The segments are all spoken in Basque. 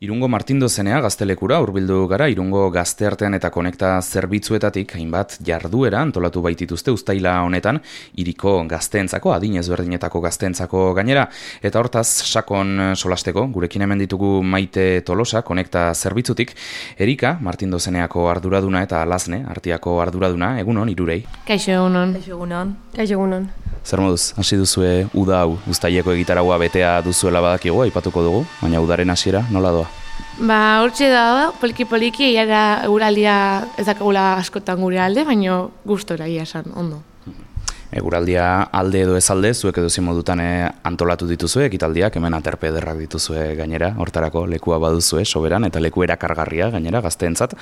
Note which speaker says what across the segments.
Speaker 1: Irungo Martindozenea gaztelekura hurbildu gara. Irungo Gazteartean eta Konekta zerbitzuetatik hainbat jarduera antolatu baitituzte uztaila honetan, hiriko gazteentzako, adin ezberdinetako gazteentzako gainera, eta hortaz sakon solasteko gurekin hemen ditugu Maite Tolosa Konekta zerbitzutik, Erika Martindozeneako arduraduna eta Lasne Artiako arduraduna. Egunon hirurei.
Speaker 2: Kaixo egunon.
Speaker 3: Kaixo egunon.
Speaker 1: Zer moduz, hasi duzue uda hau, uztaileko egitaraua betea duzuela badakigu, aipatuko dugu, baina udaren hasiera nola doa?
Speaker 2: Hortxe da, poliki, iara eguraldia ez dakagula askotan gure alde, baina gustora ia esan, ondo.
Speaker 1: Eguraldia alde edo ez alde, zuek edo modutan antolatu dituzue, ekitaldiak, hemen aterpe ederrak dituzue gainera, hortarako lekua baduzue, soberan, eta leku erakargarria gainera, gazteentzat.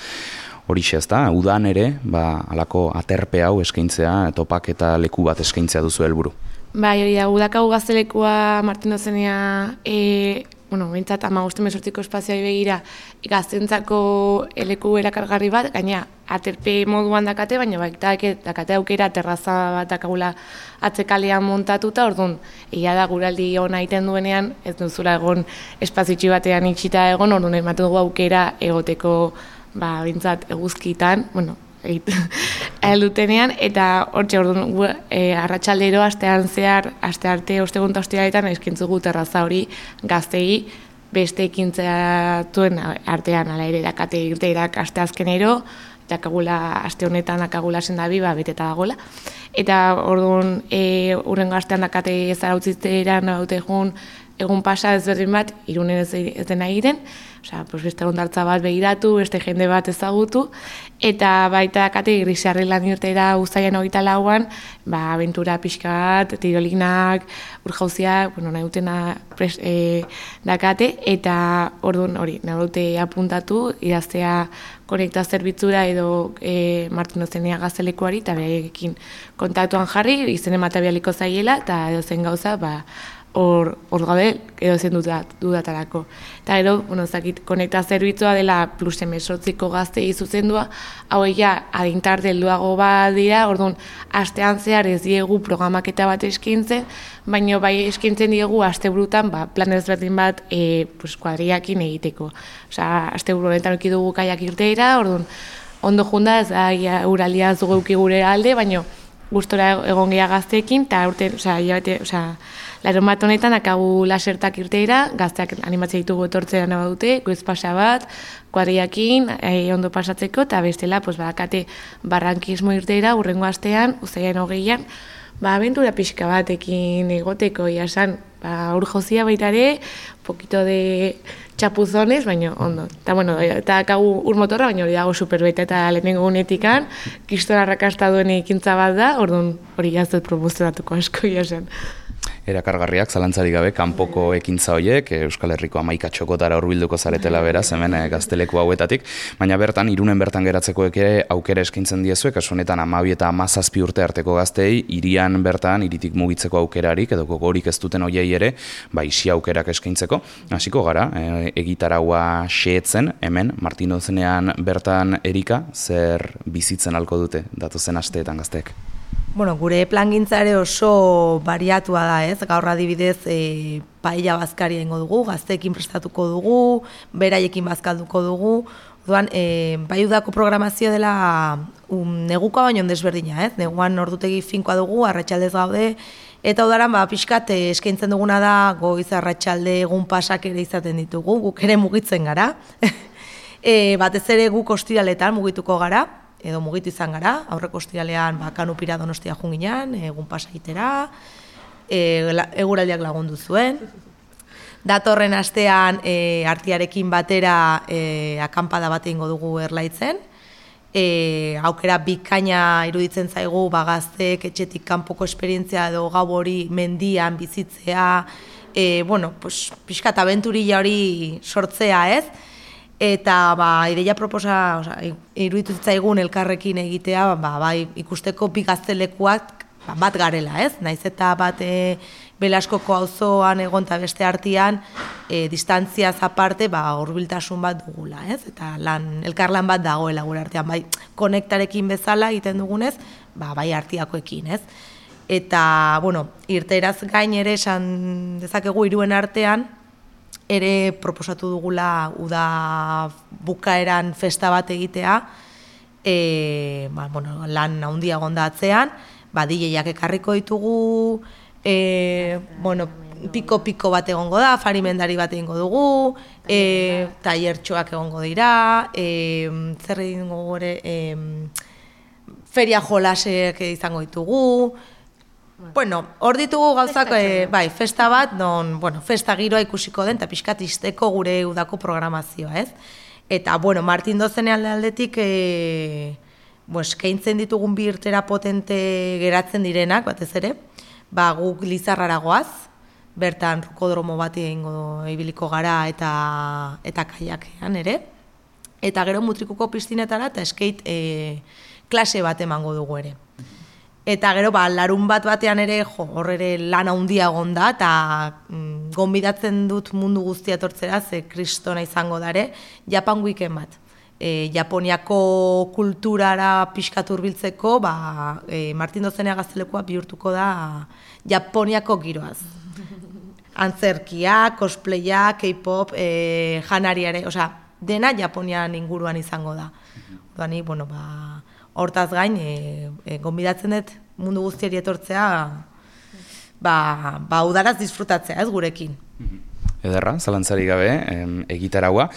Speaker 1: Horixe ez da, udan ere, halako aterpe hau eskaintzea, topak eta leku bat eskaintzea duzu helburu.
Speaker 2: Bai, hori da, udakagu gaztelekua Martindozenea, bintzat 15-18 espazioa begira gaztentzako leku erakargarri bat, gaina aterpe moduan dakate, baina dakate aukera terraza bat dakagula atzekalean montatuta, orduan, egia da guraldi hona egiten duenean, ez duzula egon espazioitxi batean itxita egon, orduan ematen dugu aukera egoteko bintzat eguzkitan, heldutenean, eta hortxe orduan arratsaldero astean zehar, aste arte ostegun eta ostiraletan eskaintzugu terraza hori gaztei beste ekintzatuen artean, ala ere dakate irteirak asteazkenero, dakagula aste honetan dakagula sendabi beteta dagoela. Eta orduan hurrengo astean dakate zarautzitzeran daute egun pasa ezberdin bat, Irunen ez dena egiten, beste ondartza bat begiratu, beste jende bat ezagutu, eta baita dakate Grisarri lan irtera uztailean 24an, abentura pixka bat, tirolinak, urjauziak, nahi dutena dakate, eta orduan hori, nahi dute apuntatu, idaztea Konekta zerbitzura edo Martindozenea gaztelekuari, eta berekin kontaktuan jarri, izen ematea bialiko zaiela, eta edo zen gauza, hor gabe edo zen dudatarako. Eta gero, Konekta zerbitzua dela plus 18ko gaztei zuzendua, hau adintarte helduago bat dira, orduan, astean zehar ez diegu programaketa bat eskintzen, baina bai eskintzen diegu asteburutan plan ezberdin bat kuadriakin egiteko. Asteburu honetan eduki dugu kaiak irteira, orduan, ondo junda ez da uraldia ez dugu eduki gure alde, baina gustora egon geha gazteekin, eta larun bat honetan akagu lasertak irteira, gazteak animatzea ditugu etortzea nahi dute, goiz pasa bat, kuadriakin, ondo pasatzeko, eta bestela, badakate barrankismo irteira, hurrengo astean, uztailean 20an, abentura pixka batekin egoteko, iasan, urjozia baitare, poquito de txapuzones, baina ondo. Eta akagu urmotorra, baina hori dago superbeta eta lehenengo gunetikan, kiston arrakasta duen ekintza bat da, orduan hori jaztet promozionatuko asko iasan.
Speaker 1: Erakargarriak, zalantzari gabe, kanpoko ekintza horiek, Euskal Herriko 11 txokotara hurbilduko zaretela beraz, hemen gazteleku hauetatik, baina bertan, Irunen bertan geratzeko aukera eskaintzen diezuek, kasu honetan 12 eta 17 urte arteko gaztei, hirian bertan, hiritik mugitzeko aukerarik, edo gogorik ez duten hoiei ere, isi aukerak eskaintzeko. Hasiko gara, egitaraua xeetzen, hemen, Martindozenean bertan Erika, zer bizitzen halko dute, datozen asteetan gazteek?
Speaker 3: Gure plangintzare oso bariatua da, ez? Gaur adibidez, paella bazkaria ingo dugu, gazteekin prestatuko dugu, beraiekin bazkalduko dugu. Orduan, bai udako programazio dela negukoa baino desberdina, ez? Neguan ordutegi finkoa dugu, arratsaldez gaude, eta udaran pixkat eskaintzen duguna da goiz arratsalde egun pasak ere izaten ditugu, guk ere mugitzen gara. Batez ere guk ostiraletan mugituko gara, edo mugitu izan gara, aurreko ostiralean Kanupira Donostia junginan, egun pasa egitera, eguraldiak lagundu zuen. Datorren astean Artiarekin batera akampada bat egingo dugu Erlaitzen. Aukera bikaina iruditzen zaigu gazteek etxetik kanpoko esperientzia edo gau hori mendian bizitzea, pixkat abenturilla hori sortzea, ez? Eta ideia proposa iruditu zitzaigun elkarrekin egitea, ikusteko bi gaztelekuak bat garela, ez? Naiz eta bat Belaskoko auzoan egon eta beste artean distantziaz aparte hurbiltasun bat dugula, ez? Eta elkarlan bat dagoela gure artean, konektarekin bezala egiten dugunez, artiakoekin, ez? Eta, irteeraz gain ere esan dezakegu Iruen artean, ere proposatu dugula uda bukaeran festa bat egitea, lan handia gondatzean, DJak ekarriko ditugu, piko bat egongo da, farimendari bat egingo dugu, tailertxoak egongo dira, zer egingo gore, feria jolasek izango ditugu. Hor ditugu gauzak, festa bat, festa giroa ikusiko den, eta pixkat izteko gure udako programazioa, ez? Eta, Martin Dozenean aldetik, keintzen ditugun bi irtera potente geratzen direnak, batez ere, guk Lizarrara goaz, bertan rukodromo bat ibiliko gara eta kaiakean ere. Eta gero mutrikuko piztinetara eta skate klase bat emango dugu ere. Eta gero larun batean ere, hor ere lan handia egonda eta gonbidatzen dut mundu guztia etortzera, ze kristona izango dare, Japan Weekend bat. Japoniako kulturara pixkat hurbiltzeko, Martin Dozenea gaztelekoa bihurtuko da Japoniako giroaz. Antzerkia, cosplaya, K-pop, janariare, dena Japonian inguruan izango da. Ni, hortaz gain, gonbidatzen dut mundu guztiari etortzea, udaraz disfrutatzea, ez gurekin.
Speaker 1: Ederra, zalantzari gabe, egitaraua,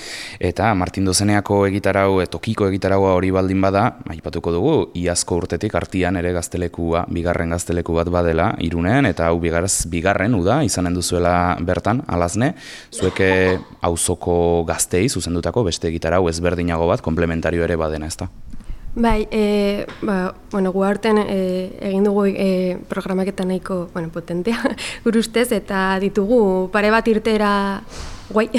Speaker 1: eta Martin Dozeneako egitarau, tokiko egitaraua hori baldin bada, aipatuko dugu, iazko urtetik artian ere gaztelekua, bigarren gazteleku bat badela, Irunen, eta hau bigarren uda, izanen duzuela bertan, alazne, zueke auzoko gaztei zuzendutako beste egitarau ezberdinago bat, komplementario ere badena, ezta?
Speaker 4: Bai, gu aurten egin dugu programaketa nahiko potentea gure ustez, eta ditugu pare bat irtera guai.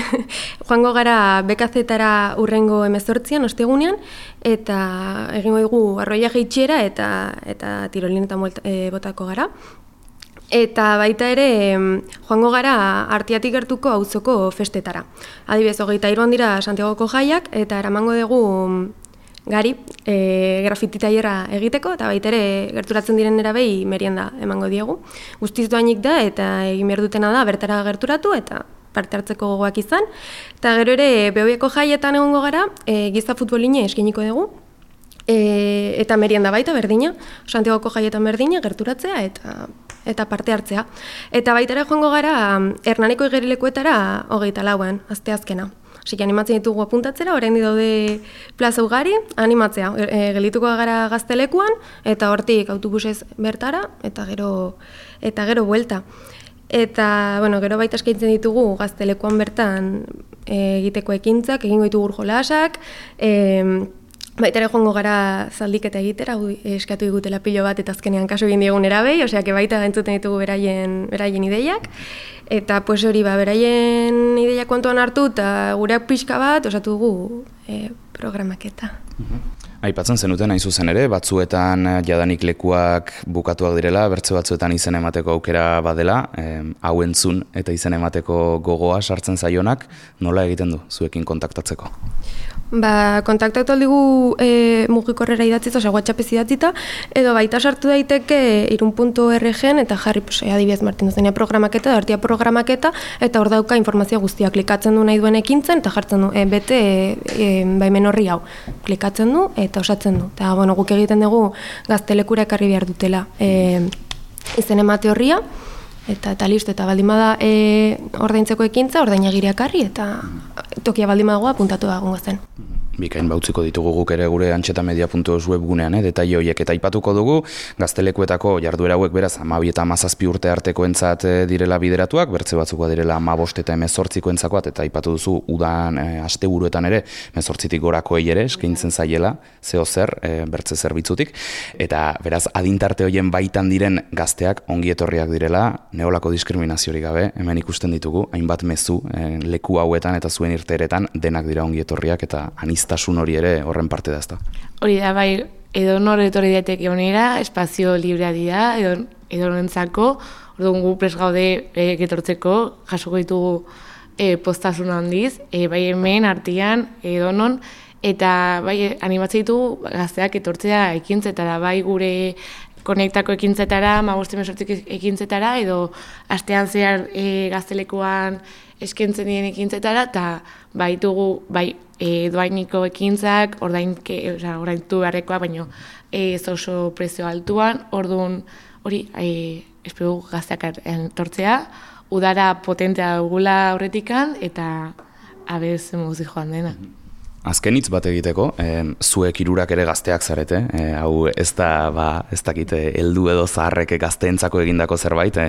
Speaker 4: Joango gara BKZ-tara urrengo 18an, ostegunean, eta egingo dugu arroia jaitxiera eta tirolinetan botako gara. Eta baita ere, joango gara Artiatik gertuko auzoko festetara. Adibidez, 23an dira Santiagoko jaiak, eta eramango dugu gari, grafiti tailerra egiteko, eta baita ere gerturatzen diren erabei merienda emango diegu. Guztiz doainik da, eta egin behar dutena da, bertara gerturatu, eta parte hartzeko gogoak izan. Eta gero ere, Behobiako jaietan egongo gara, giza futboline eskainiko dugu, eta merienda baita berdina, Santiagoko jaietan berdina, gerturatzea, eta parte hartzea. Eta baita ere joango gara, Hernaniko igerilekuetara 24an, asteazkena. Así que animatzen ditugu apuntatzera, orain daude plaza ugari, animatzea. Gelituko gara gaztelekuan, eta hortik autobusez bertara, eta gero buelta. Eta, gero baita eskaintzen ditugu gaztelekuan bertan egiteko ekintzak, egingo ditugu jolasak, baita ere joango gara zaldiketa egitera, eskatu digutela pilo bat eta azkenean kaso egin diegun erabei, osea, baita entzuten ditugu beraien ideiak. Eta hori, beraien ideiak kontuan hartu eta gureak pixka bat osatu dugu programaketa.
Speaker 1: Aipatzen zenuten hain zuzen ere, batzuetan jadanik lekuak bukatuak direla, bertze batzuetan izen emateko aukera badela, hau entzun eta izen emateko gogoa sartzen zaionak, nola egiten du zuekin kontaktatzeko?
Speaker 4: Kontaktatu aldigu mugikorrera idatziz, osea, WhatsAppez idatzita, edo baita sartu daiteke irun.org-en eta jarri, adibidez Martin Dozenea programaketa, Artia programaketa, eta hor dauka informazio guztia, klikatzen du nahi duen ekintzen, eta jartzen du, bete baimen horri hau, klikatzen du, eta osatzen du. Eta, guk egiten dugu gaztelekura ekarri behar dutela izen emate horria, eta listo, eta baldin bada ordaintzeko ekintza, ordainagiria ekarri, eta tokia baldin badagoa apuntatu da egongo zen.
Speaker 1: Bikain bautziko ditugu guk ere gure antxetamedia.eus webgunean, detaile horiek, eta aipatuko dugu gaztelekuetako jarduera hauek beraz 12 eta 17 urte artekoentzat direla bideratuak, bertze batzukoa direla 15 eta 18koentzakoak, eta aipatu duzu udan asteburuetan ere 18tik gorakoei ere eskaintzen zaiela, zeo zer, bertze zerbitzutik, eta beraz adintarte horien baitan diren gazteak ongi etorriak direla, neolako diskriminaziorik gabe, hemen ikusten ditugu, hainbat mezu leku hauetan eta zuen irteeretan denak dira ongi etorriak eta aniztasun hori ere horren parte da, ezta?
Speaker 2: Hori da, bai, edo nor etorri daiteke honera, espazio librea dira, edo norentzako, orduan gu prest gaude etortzeko, jasoko ditugu postasun handiz, bai hemen, Artian, edo non, eta bai animatzen ditugu gazteak etortzea ekintzetara, bai gure konektako ekintzetara, 15-18 ekintzetara, edo astean zehar gaztelekuan eskentzen diren ekintzetara, eta baitugu, doainiko ekintzak, ordaintu beharrekoa, baino ez oso prezio altuan, orduan hori, espero gazteak tortzea, udara potentea dugula aurretikan, eta abez muzi joan dena.
Speaker 1: Azken hitz bat egiteko, zuek hirurak ere gazteak zarete, hau ez dakit heldu edo zaharrek gazteentzako egindako zerbait,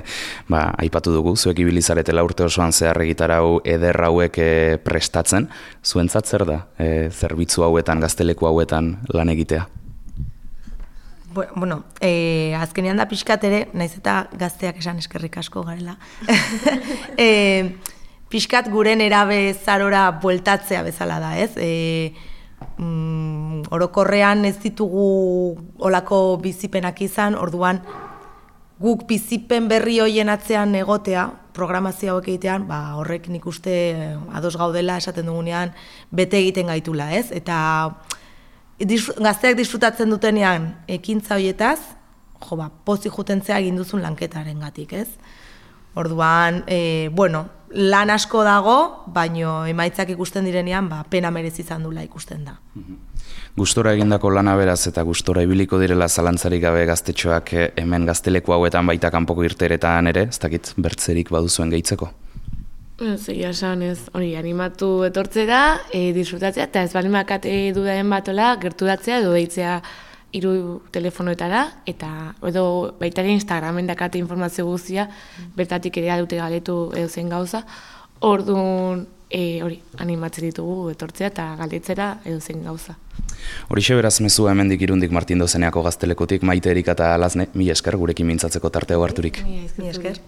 Speaker 1: aipatu dugu, zuek ibili zaretela urte osoan zehar egitarau eder hauek prestatzen, zuentzat zer da, zerbitzu hauetan, gazteleku hauetan lan egitea?
Speaker 3: Bueno, azkenean da pixkat ere, naiz eta gazteak esan eskerrik asko garela. Pixkat guren erabe zarora bueltatzea bezala da, ez? Orokorrean ez ditugu olako bizipenak izan, orduan guk bizipen berri hoien atzean egotea, programazio hauek egitean, horrek nik uste ados gaudela esaten dugunean bete egiten gaitula, ez? Eta gazteak disfrutatzen dutenean ekintza hoietaz, pozik jutentzea egin duzun lanketaren gatik, ez? Orduan, lan asko dago, baino emaitzak ikusten direnean, pena merezi izan dula ikusten da.
Speaker 1: Gustora egindako lana beraz eta gustora ibiliko direla zalantzarik gabe gaztetxoak hemen gazteleku hauetan baita kanpoko irteeretan ere, ez dakit bertzerik baduzuen gehitzeko?
Speaker 2: Zegia esan ez, hori animatu etortzera, disfrutatzea, eta ez balimakat dudaren batola, gerturatzea edo deitzea hiru telefonoetara, eta edo baita ere Instagramen dakate informazio guztia, bertatik ere dute galetu edo zen gauza, orduan hori animatzen ditugu etortzea eta galdetzera edo zen gauza.
Speaker 1: Horixe beraz mezua hemendik Irundik Martin Dozeneako gaztelekutik, Maite Erika eta Alazne, mila esker gurekin mintzatzeko tartea harturik.
Speaker 3: Mila esker.